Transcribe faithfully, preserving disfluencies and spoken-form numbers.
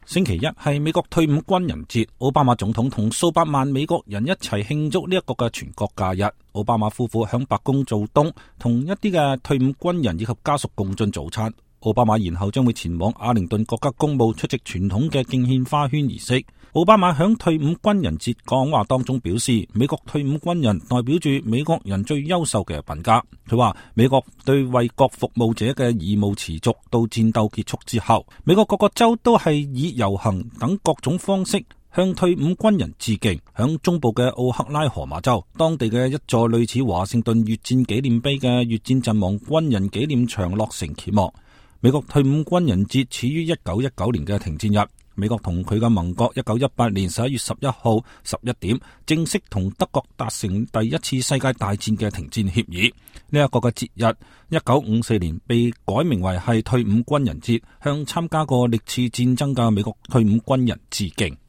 星期一係美國退伍軍人節，奧巴馬總統同數百萬美國人一齊慶祝呢一個嘅全國假日。奧巴馬夫婦響白宮做冬，同一啲嘅退伍軍人以及家屬共進早餐。奧巴馬然後將會前往阿靈頓國家公墓出席傳統嘅敬獻花圈儀式。奧巴馬響退伍軍人節講話當中表示，美國退伍軍人代表住美國人最優秀嘅品格。佢話美國對為國服務者嘅義務持續到戰鬥結束之後。美國各個州都係以遊行等各種方式向退伍軍人致敬。響中部嘅奧克拉荷馬州，當地嘅一座類似華盛頓越戰紀念碑嘅越戰陣亡軍人紀念牆落成揭幕。美國退伍軍人節始於一九一九年嘅停戰日。美國同佢嘅盟國一九一八年十一月十一號十一點正式同德國達成第一次世界大戰嘅停戰協議。呢一個嘅節日一九五四年被改名為係退伍軍人節，向參加過歷次戰爭嘅美國退伍軍人致敬。